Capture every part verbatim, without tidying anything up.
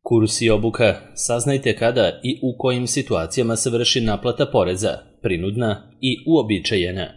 Kurs i obuka. Saznajte kada i u kojim situacijama se vrši naplata poreza, prinudna i uobičajena.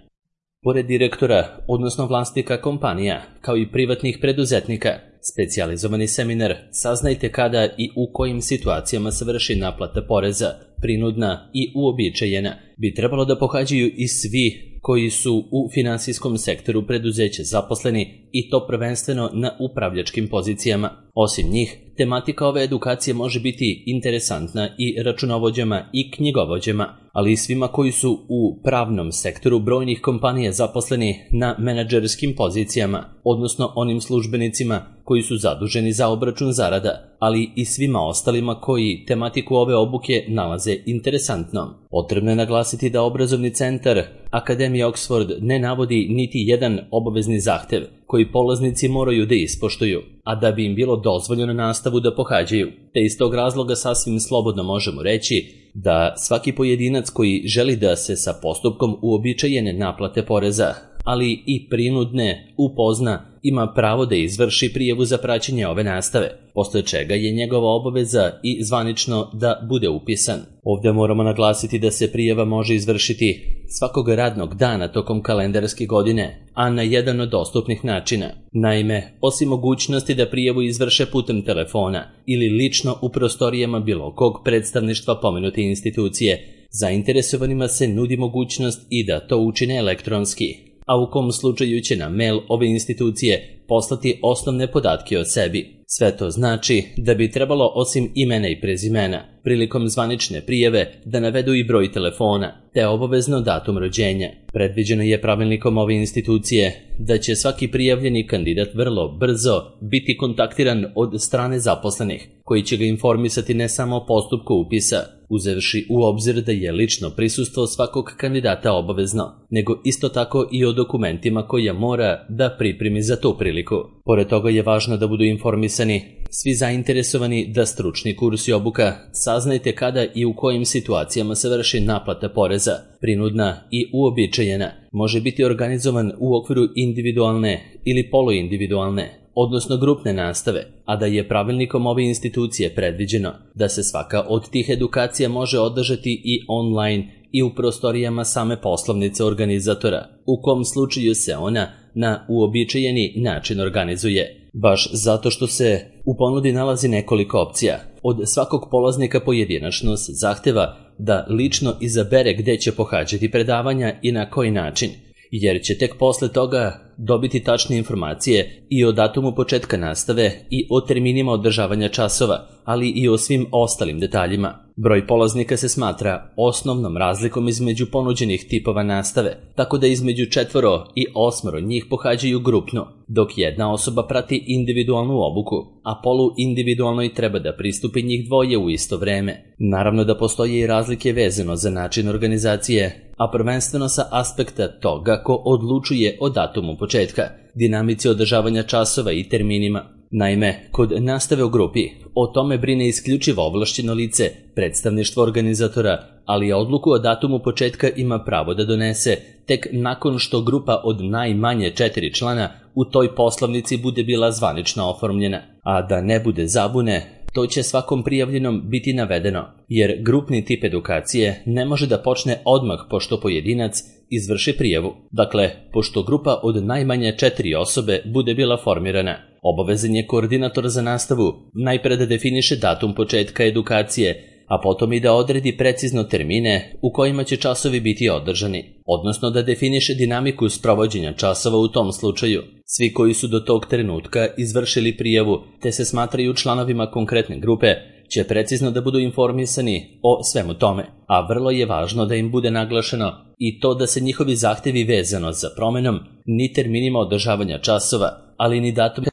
Pored direktora, odnosno vlasnika kompanija, kao i privatnih preduzetnika, specijalizovani seminar Saznajte kada i u kojim situacijama se vrši naplata poreza, prinudna i uobičajena, bi trebalo da pohađaju i svi koji su u finansijskom sektoru preduzeća zaposleni i to prvenstveno na upravljačkim pozicijama. Osim njih, tematika ove edukacije može biti interesantna i računovođama i knjigovođama, ali i svima koji su u pravnom sektoru brojnih kompanija zaposleni na menadžerskim pozicijama, odnosno onim službenicima koji su zaduženi za obračun zarada, ali i svima ostalima koji tematiku ove obuke nalaze interesantnom. Potrebno je naglasiti da obrazovni centar Akademije Oxford ne navodi niti jedan obavezni zahtev koji polaznici moraju da ispoštuju, a da bi im bilo dozvoljeno nastavu da pohađaju, te iz tog razloga sasvim slobodno možemo reći da svaki pojedinac koji želi da se sa postupkom uobičajene naplate poreza, ali i prinudne upozna, ima pravo da izvrši prijavu za praćenje ove nastave, posle čega je njegova obaveza i zvanično da bude upisan. Ovdje moramo naglasiti da se prijava može izvršiti svakog radnog dana tokom kalendarske godine, a na jedan od dostupnih načina. Naime, osim mogućnosti da prijavu izvrše putem telefona ili lično u prostorijama bilo kog predstavništva pomenute institucije, zainteresovanima se nudi mogućnost i da to učine elektronski, a u kom slučaju će na mail ove institucije poslati osnovne podatke o sebi. Sve to znači da bi trebalo osim imena i prezimena prilikom zvanične prijave da navedu i broj telefona, te obavezno datum rođenja. Predviđeno je pravilnikom ove institucije da će svaki prijavljeni kandidat vrlo brzo biti kontaktiran od strane zaposlenih, koji će ga informisati ne samo o postupku upisa, uzevši u obzir da je lično prisustvo svakog kandidata obavezno, nego isto tako i o dokumentima koje mora da pripremi za tu priliku. Pored toga je važno da budu informisani svi zainteresovani da stručni kurs i obuka Saznajte kada i u kojim situacijama se vrši naplata poreza, prinudna i uobičajena, može biti organizovan u okviru individualne ili poluindividualne, odnosno grupne nastave, a da je pravilnikom ove institucije predviđeno da se svaka od tih edukacija može održati i online i u prostorijama same poslovnice organizatora, u kom slučaju se ona na uobičajeni način organizuje. Baš zato što se u ponudi nalazi nekoliko opcija. Od svakog polaznika pojedinačno se zahteva da lično izabere gde će pohađati predavanja i na koji način, jer će tek posle toga dobiti tačne informacije i o datumu početka nastave i o terminima održavanja časova, ali i o svim ostalim detaljima. Broj polaznika se smatra osnovnom razlikom između ponuđenih tipova nastave, tako da između četvoro i osmoro njih pohađaju grupno, dok jedna osoba prati individualnu obuku, a poluindividualnoj treba da pristupi njih dvoje u isto vreme. Naravno da postoje i razlike vezano za način organizacije, a prvenstveno sa aspekta toga ko odlučuje o datumu početka, dinamici održavanja časova i terminima. Naime, kod nastave u grupi o tome brine isključivo ovlašćeno lice, predstavništvo organizatora, ali odluku o datumu početka ima pravo da donese tek nakon što grupa od najmanje četiri člana u toj poslovnici bude bila zvanično oformljena. A da ne bude zabune, to će svakom prijavljenom biti navedeno, jer grupni tip edukacije ne može da počne odmah pošto pojedinac izvrši prijavu. Dakle, pošto grupa od najmanje četiri osobe bude bila formirana, obavezan je koordinator za nastavu najpre da definiše datum početka edukacije, a potom i da odredi precizno termine u kojima će časovi biti održani, odnosno da definiše dinamiku sprovođenja časova u tom slučaju. Svi koji su do tog trenutka izvršili prijavu te se smatraju članovima konkretne grupe će precizno da budu informisani o svemu tome, a vrlo je važno da im bude naglašeno i to da se njihovi zahtevi vezano za promenom ni terminima održavanja časova, ali ni datum,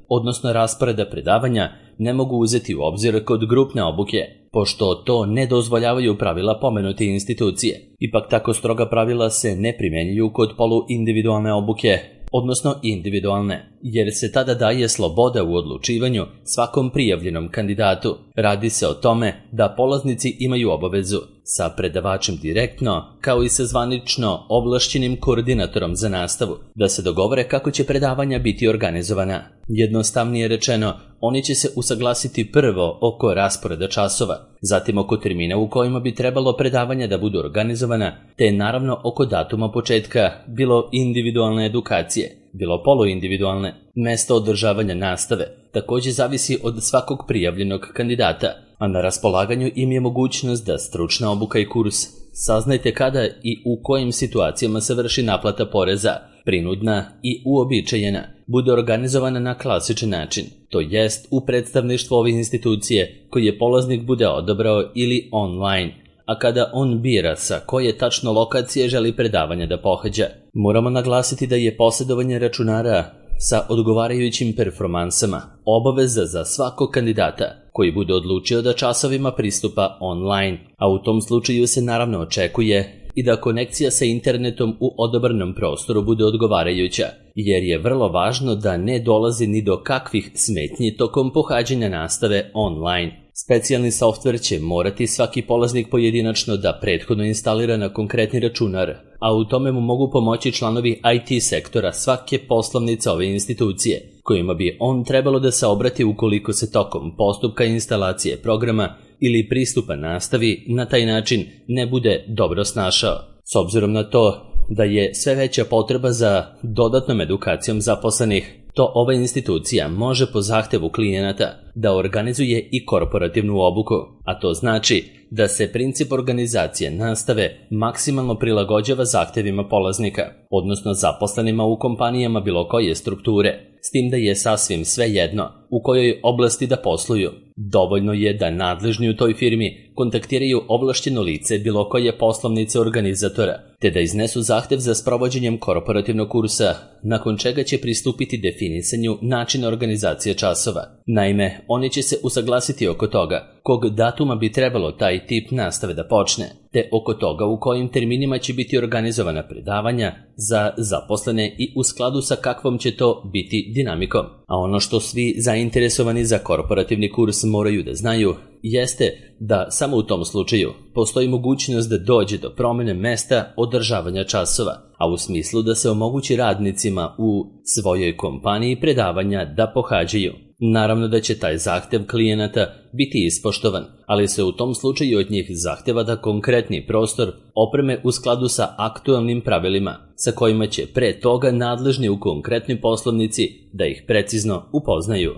odnosno rasporeda predavanja, ne mogu uzeti u obzir kod grupne obuke, pošto to ne dozvoljavaju pravila pomenute institucije. Ipak tako stroga pravila se ne primjenjuju kod poluindividualne obuke, odnosno individualne. jer se tada daje sloboda u odlučivanju svakom prijavljenom kandidatu. Radi se o tome da polaznici imaju obavezu sa predavačem direktno, kao i sa zvanično ovlašćenim koordinatorom za nastavu, da se dogovore kako će predavanja biti organizovana. Jednostavnije rečeno, oni će se usaglasiti prvo oko rasporeda časova, zatim oko termina u kojima bi trebalo predavanja da budu organizovana, te naravno oko datuma početka, bilo individualne edukacije, bilo poluindividualne. Mesto održavanja nastave također zavisi od svakog prijavljenog kandidata, a na raspolaganju im je mogućnost da stručna obuka i kurs. Saznajte kada i u kojim situacijama se vrši naplata poreza, prinudna i uobičajena, bude organizovana na klasičan način, to jest u predstavništvu ove institucije koje polaznik bude odabrao ili online, a kada on bira sa koje tačno lokacije želi predavanja da pohađa. Moramo naglasiti da je posjedovanje računara sa odgovarajućim performansama obaveza za svakog kandidata koji bude odlučio da časovima pristupa online, a u tom slučaju se naravno očekuje i da konekcija sa internetom u odabranom prostoru bude odgovarajuća, jer je vrlo važno da ne dolazi ni do kakvih smetnji tokom pohađanja nastave online. Specijalni softver će morati svaki polaznik pojedinačno da prethodno instalira na konkretni računar, a u tome mu mogu pomoći članovi I T sektora svake poslovnice ove institucije, kojima bi on trebalo da se obrati ukoliko se tokom postupka instalacije programa ili pristupa nastavi na taj način ne bude dobro snašao. S obzirom na to da je sve veća potreba za dodatnom edukacijom zaposlenih, to ova institucija može po zahtevu klijenata da organizuje i korporativnu obuku, a to znači da se princip organizacije nastave maksimalno prilagođava zahtevima polaznika, odnosno zaposlenima u kompanijama bilo koje strukture, s tim da je sasvim svejedno u kojoj oblasti da posluju. Dovoljno je da nadležni u toj firmi kontaktiraju ovlašćeno lice bilo koje poslovnice organizatora, te da iznesu zahtev za sprovođenjem korporativnog kursa, nakon čega će pristupiti definisanju načina organizacije časova. Naime, oni će se usaglasiti oko toga kog datuma bi trebalo taj tip nastave da počne, te oko toga u kojim terminima će biti organizovana predavanja za zaposlene i u skladu sa kakvom će to biti dinamikom. A ono što svi zainteresovani za korporativni kurs moraju da znaju jeste da samo u tom slučaju postoji mogućnost da dođe do promjene mesta održavanja časova, a u smislu da se omogući radnicima u svojoj kompaniji predavanja da pohađaju. Naravno da će taj zahtev klijenata biti ispoštovan, ali se u tom slučaju od njih zahteva da konkretni prostor opreme u skladu sa aktualnim pravilima, sa kojima će pre toga nadležni u konkretnoj poslovnici da ih precizno upoznaju.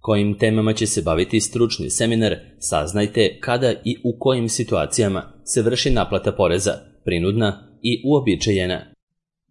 Kojim temama će se baviti stručni seminar, saznajte kada i u kojim situacijama se vrši naplata poreza, prinudna i uobičajena.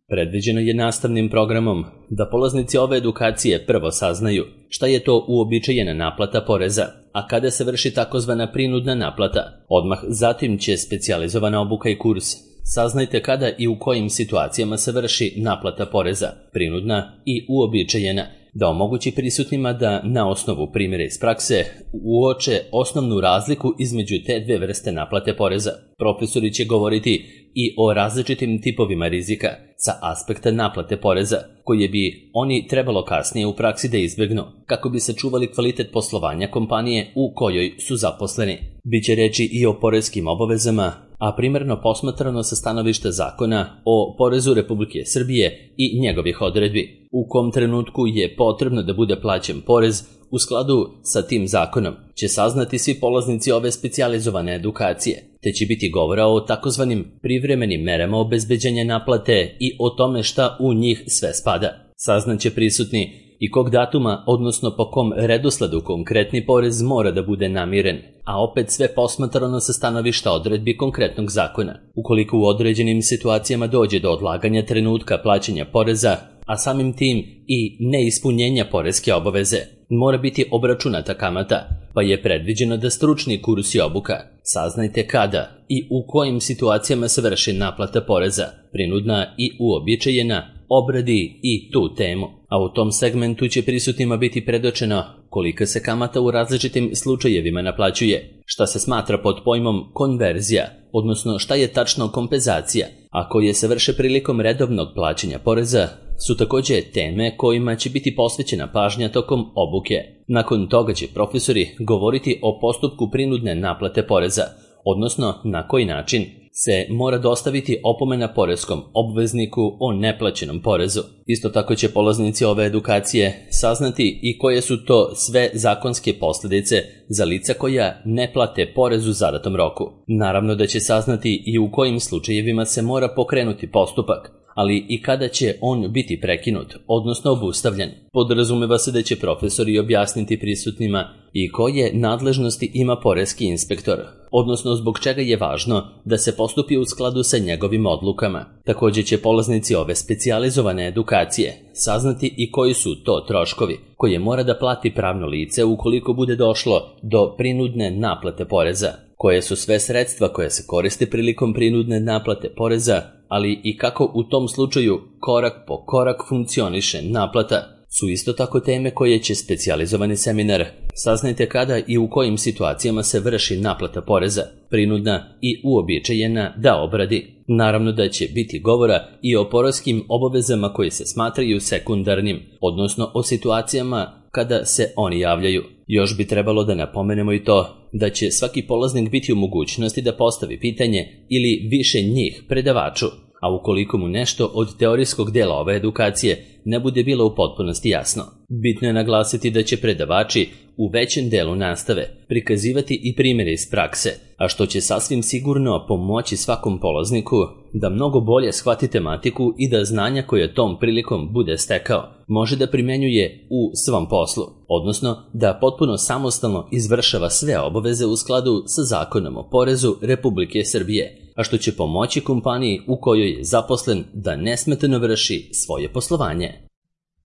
Predviđeno je nastavnim programom da polaznici ove edukacije prvo saznaju šta je to uobičajena naplata poreza, a kada se vrši takozvana prinudna naplata. Odmah zatim će specijalizovana obuka i kurs. Saznajte kada i u kojim situacijama se vrši naplata poreza, prinudna i uobičajena, da omogući prisutnima da na osnovu primjera iz prakse uoče osnovnu razliku između te dve vrste naplate poreza. Profesori će govoriti i o različitim tipovima rizika sa aspekta naplate poreza, koje bi oni trebalo kasnije u praksi da izbjegnu, kako bi sačuvali kvalitet poslovanja kompanije u kojoj su zaposleni. Biće reči i o poreskim obavezama, a primarno posmatrano sa stanovišta zakona o porezu Republike Srbije i njegovih odredbi. U kom trenutku je potrebno da bude plaćen porez u skladu sa tim zakonom, će saznati svi polaznici ove specijalizovane edukacije, te će biti govora o takozvanim privremenim merama obezbeđenja naplate i o tome šta u njih sve spada. Saznaće prisutni i kog datuma, odnosno po kom redosledu konkretni porez mora da bude namiren, a opet sve posmatrano sa stanovišta odredbi konkretnog zakona. Ukoliko u određenim situacijama dođe do odlaganja trenutka plaćanja poreza, a samim tim i neispunjenja poreske obaveze, mora biti obračunata kamata, pa je predviđeno da stručni kurs i obuka. Saznajte kada i u kojim situacijama se vrši naplata poreza, prinudna i uobičajena, obradi i tu temu, a u tom segmentu će prisutnima biti predočeno kolika se kamata u različitim slučajevima naplaćuje, šta se smatra pod pojmom konverzija, odnosno šta je tačno kompenzacija, a koje se vrše prilikom redovnog plaćanja poreza su također teme kojima će biti posvećena pažnja tokom obuke. Nakon toga će profesori govoriti o postupku prinudne naplate poreza, odnosno na koji način se mora dostaviti opomena poreskom obvezniku o neplaćenom porezu. Isto tako će polaznici ove edukacije saznati i koje su to sve zakonske posljedice za lica koja ne plate porez u zadatom roku. Naravno da će saznati i u kojim slučajevima se mora pokrenuti postupak, ali i kada će on biti prekinut, odnosno obustavljen. Podrazumeva se da će profesori objasniti prisutnima i koje nadležnosti ima poreski inspektor, odnosno zbog čega je važno da se postupi u skladu sa njegovim odlukama. Također će polaznici ove specijalizovane edukacije saznati i koji su to troškovi koje mora da plati pravno lice ukoliko bude došlo do prinudne naplate poreza, koje su sve sredstva koje se koriste prilikom prinudne naplate poreza, ali i kako u tom slučaju korak po korak funkcioniše naplata, su isto tako teme koje će specijalizovani seminar saznajte kada i u kojim situacijama se vrši naplata poreza, prinudna i uobičajena, da obradi. Naravno da će biti govora i o poreskim obavezama koji se smatraju sekundarnim, odnosno o situacijama kada se oni javljaju. Još bi trebalo da napomenemo i to da će svaki polaznik biti u mogućnosti da postavi pitanje ili više njih predavaču, a ukoliko mu nešto od teorijskog dela ove edukacije ne bude bilo u potpunosti jasno. Bitno je naglasiti da će predavači u većem delu nastave prikazivati i primjere iz prakse, a što će sasvim sigurno pomoći svakom polazniku da mnogo bolje shvati tematiku i da znanja koje tom prilikom bude stekao može da primenjuje u svom poslu, odnosno da potpuno samostalno izvršava sve obaveze u skladu sa Zakonom o porezu Republike Srbije, a što će pomoći kompaniji u kojoj je zaposlen da nesmetano vrši svoje poslovanje.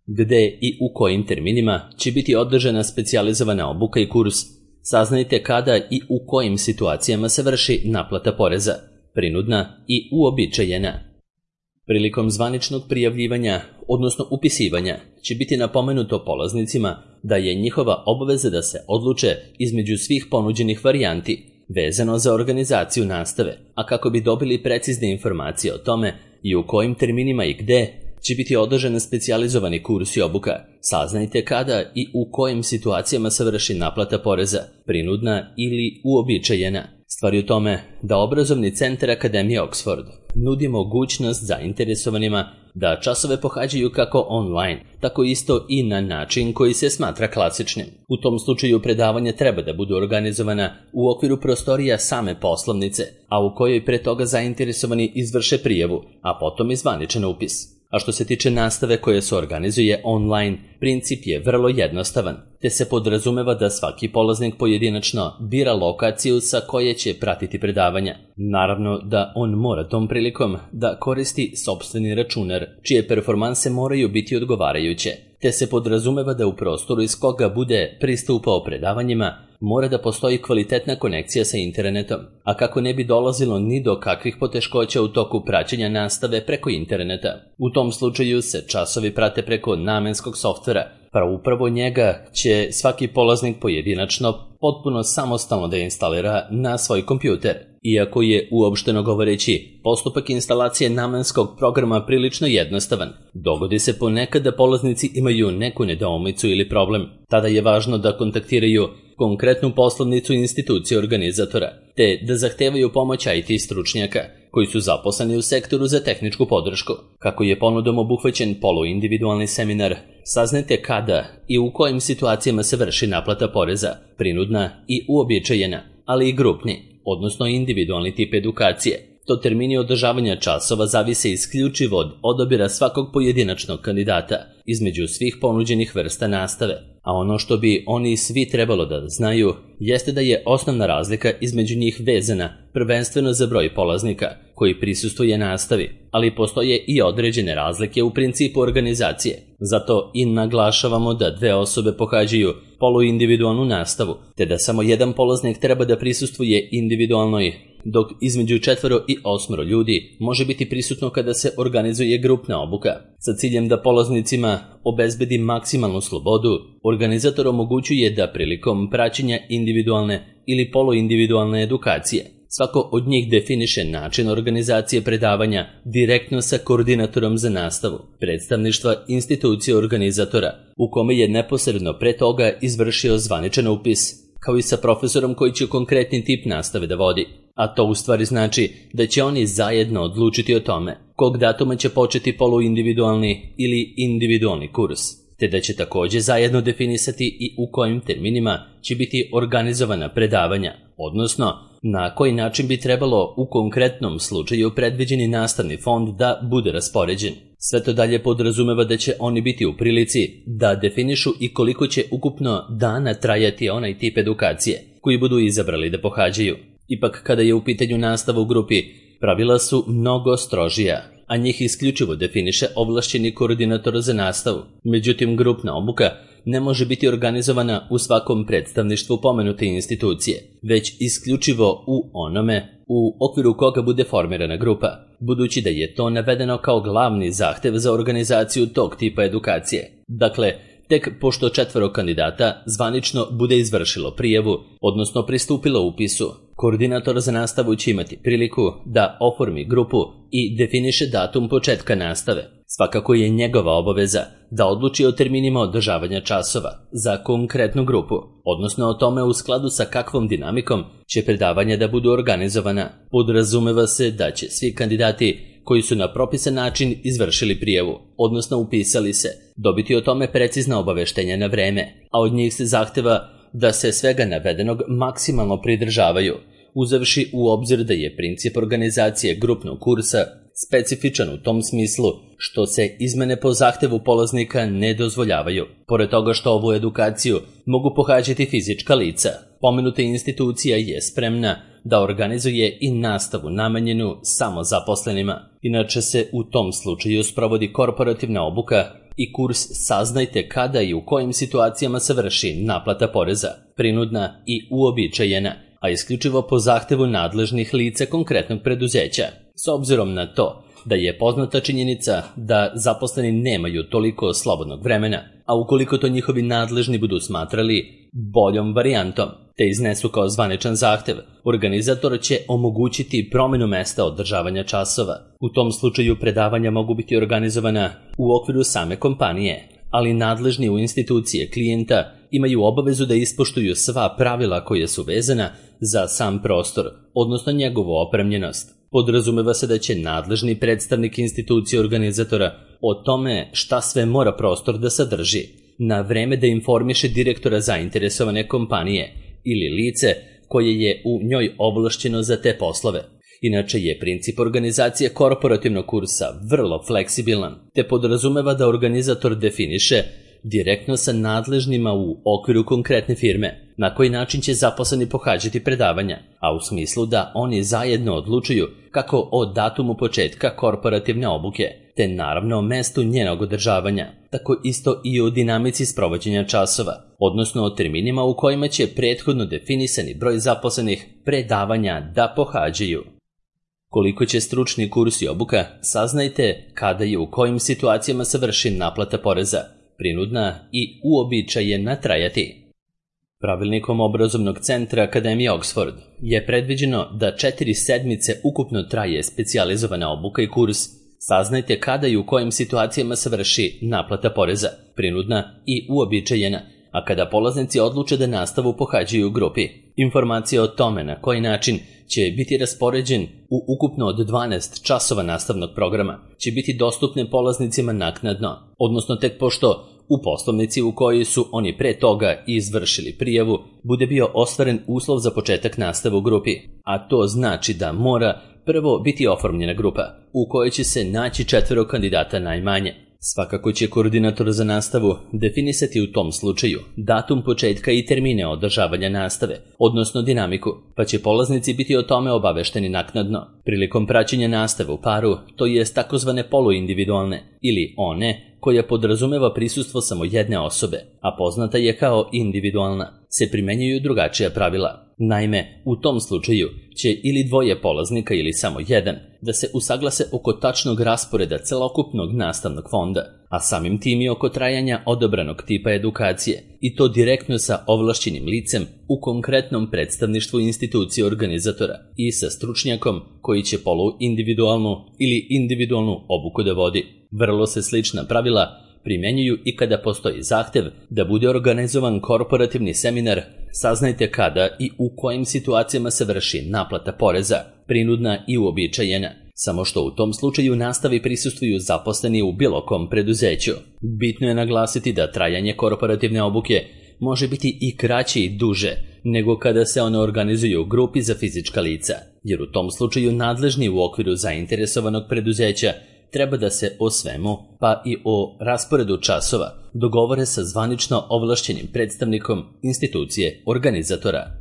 Gde i u kojim terminima će biti održana specijalizovana obuka i kurs, saznajte kada i u kojim situacijama se vrši naplata poreza, prinudna i uobičajena. Prilikom zvaničnog prijavljivanja, odnosno upisivanja, će biti napomenuto polaznicima da je njihova obaveza da se odluče između svih ponuđenih varijanti vezano za organizaciju nastave, a kako bi dobili precizne informacije o tome i u kojim terminima i gde će biti održan specijalizovani kurs i obuka, saznajte kada i u kojim situacijama se vrši naplata poreza, prinudna ili uobičajena. Stvar je u tome da obrazovni centar Akademije Oxford nudi mogućnost zainteresovanima da časove pohađaju kako online, tako isto i na način koji se smatra klasičnim. U tom slučaju predavanja treba da budu organizovana u okviru prostorija same poslovnice, a u kojoj pre toga zainteresovani izvrše prijavu, a potom i zvaničan upis. A što se tiče nastave koje se organizuje online, princip je vrlo jednostavan, te se podrazumeva da svaki polaznik pojedinačno bira lokaciju sa koje će pratiti predavanja. Naravno da on mora tom prilikom da koristi sopstveni računar, čije performanse moraju biti odgovarajuće, te se podrazumeva da u prostoru iz koga bude pristupao predavanjima mora da postoji kvalitetna konekcija sa internetom, a kako ne bi dolazilo ni do kakvih poteškoća u toku praćenja nastave preko interneta. U tom slučaju se časovi prate preko namenskog softvera, pa upravo njega će svaki polaznik pojedinačno potpuno samostalno da instalira na svoj kompjuter. Iako je, uopšteno govoreći, postupak instalacije namenskog programa prilično jednostavan, dogodi se ponekad da polaznici imaju neku nedoumicu ili problem. Tada je važno da kontaktiraju konkretnu poslovnicu institucije organizatora, te da zahtevaju pomoć I T stručnjaka koji su zaposleni u sektoru za tehničku podršku. Kako je ponudom obuhvaćen poluindividualni seminar, saznajte kada i u kojim situacijama se vrši naplata poreza, prinudna i uobičajena, ali i grupni, odnosno individualni tip edukacije. To termini održavanja časova zavise isključivo od odabira svakog pojedinačnog kandidata između svih ponuđenih vrsta nastave, a ono što bi oni svi trebalo da znaju jeste da je osnovna razlika između njih vezana prvenstveno za broj polaznika koji prisustvuje nastavi, ali postoje i određene razlike u principu organizacije. Zato i naglašavamo da dve osobe pohađaju poluindividualnu nastavu, te da samo jedan polaznik treba da prisustvuje individualnoj, dok između četvoro i osmoro ljudi može biti prisutno kada se organizuje grupna obuka. Sa ciljem da polaznicima obezbedi maksimalnu slobodu, organizator omogućuje da prilikom praćenja individualne ili poluindividualne edukacije Svako od njih definiše način organizacije predavanja direktno sa koordinatorom za nastavu, predstavništva institucije organizatora, u kome je neposredno pre toga izvršio zvaničan upis, kao i sa profesorom koji će konkretni tip nastave da vodi. A to u stvari znači da će oni zajedno odlučiti o tome kog datuma će početi poluindividualni ili individualni kurs, te da će takođe zajedno definisati i u kojim terminima će biti organizovana predavanja, odnosno na koji način bi trebalo u konkretnom slučaju predviđeni nastavni fond da bude raspoređen. Sve to dalje podrazumeva da će oni biti u prilici da definišu i koliko će ukupno dana trajati onaj tip edukacije koji budu izabrali da pohađaju. Ipak, kada je u pitanju nastava u grupi, pravila su mnogo strožija, a njih isključivo definiše ovlašćeni koordinator za nastavu. Međutim, grupna obuka ne može biti organizovana u svakom predstavništvu pomenute institucije, već isključivo u onome u okviru koga bude formirana grupa, budući da je to navedeno kao glavni zahtev za organizaciju tog tipa edukacije. Dakle, tek pošto četvoro kandidata zvanično bude izvršilo prijavu, odnosno pristupilo upisu, koordinator za nastavu će imati priliku da oformi grupu i definiše datum početka nastave. Svakako je njegova obaveza da odluči o terminima održavanja časova za konkretnu grupu, odnosno o tome u skladu sa kakvom dinamikom će predavanja da budu organizovana. Podrazumeva se da će svi kandidati koji su na propisan način izvršili prijavu, odnosno upisali se, dobiti o tome precizna obaveštenja na vreme, a od njih se zahteva da se svega navedenog maksimalno pridržavaju, uzevši u obzir da je princip organizacije grupnog kursa specifičan u tom smislu što se izmene po zahtevu polaznika ne dozvoljavaju. Pored toga što ovu edukaciju mogu pohađati fizička lica, pomenuta institucija je spremna da organizuje i nastavu namenjenu samo zaposlenima. Inače se u tom slučaju sprovodi korporativna obuka i kurs Saznajte kada i u kojim situacijama se vrši naplata poreza, prinudna i uobičajena, a isključivo po zahtevu nadležnih lica konkretnog preduzeća. S obzirom na to da je poznata činjenica da zaposleni nemaju toliko slobodnog vremena, a ukoliko to njihovi nadležni budu smatrali boljom varijantom, te iznesu kao zvaničan zahtev, organizator će omogućiti promenu mesta održavanja časova. U tom slučaju predavanja mogu biti organizovana u okviru same kompanije, ali nadležni u institucije klijenta imaju obavezu da ispoštuju sva pravila koje su vezana za sam prostor, odnosno njegovu opremljenost. Podrazumeva se da će nadležni predstavnik institucije organizatora o tome šta sve mora prostor da sadrži, na vreme da informiše direktora zainteresovane kompanije ili lice koje je u njoj ovlašćeno za te poslove. Inače je princip organizacije korporativnog kursa vrlo fleksibilan, te podrazumeva da organizator definiše direktno sa nadležnima u okviru konkretne firme na koji način će zaposleni pohađati predavanja, a u smislu da oni zajedno odlučuju kako o datumu početka korporativne obuke, te naravno o mestu njenog održavanja, tako isto i o dinamici sprovođenja časova, odnosno o terminima u kojima će prethodno definisani broj zaposlenih predavanja da pohađaju. Koliko će stručni kurs i obuka, saznajte kada i u kojim situacijama se vrši naplata poreza, prinudna i uobičajena trajati. Pravilnikom obrazovnog centra Akademije Oxford je predviđeno da četiri sedmice ukupno traje specijalizovana obuka i kurs Saznajte kada i u kojim situacijama se vrši naplata poreza, prinudna i uobičajena, a kada polaznici odluče da nastavu pohađaju u grupi. Informacije o tome na koji način će biti raspoređen u ukupno od dvanaest časova nastavnog programa će biti dostupne polaznicima naknadno, odnosno tek pošto u poslovnici u kojoj su oni pre toga izvršili prijavu bude bio ostvaren uslov za početak nastave u grupi, a to znači da mora prvo biti oformljena grupa u kojoj će se naći četvero kandidata najmanje. Svakako će koordinator za nastavu definisati u tom slučaju datum početka i termine održavanja nastave, odnosno dinamiku, pa će polaznici biti o tome obavešteni naknadno. Prilikom praćenja nastave u paru, to jest takozvane poluindividualne ili one koja podrazumeva prisustvo samo jedne osobe, a poznata je kao individualna, se primenjuju drugačija pravila. Naime, u tom slučaju će ili dvoje polaznika ili samo jedan da se usaglase oko tačnog rasporeda celokupnog nastavnog fonda, a samim tim i oko trajanja odabranog tipa edukacije, i to direktno sa ovlašćenim licem u konkretnom predstavništvu institucije organizatora i sa stručnjakom koji će poluindividualnu ili individualnu obuku da vodi. Vrlo se slična pravila primjenjuju i kada postoji zahtev da bude organizovan korporativni seminar. Saznajte kada i u kojim situacijama se vrši naplata poreza, prinudna i uobičajena, samo što u tom slučaju nastavi prisustvuju zaposleni u bilo kom preduzeću. Bitno je naglasiti da trajanje korporativne obuke može biti i kraće i duže nego kada se one organizuju u grupi za fizička lica, jer u tom slučaju nadležni u okviru zainteresovanog preduzeća treba da se o svemu, pa i o rasporedu časova, dogovore sa zvanično ovlašćenim predstavnikom institucije organizatora.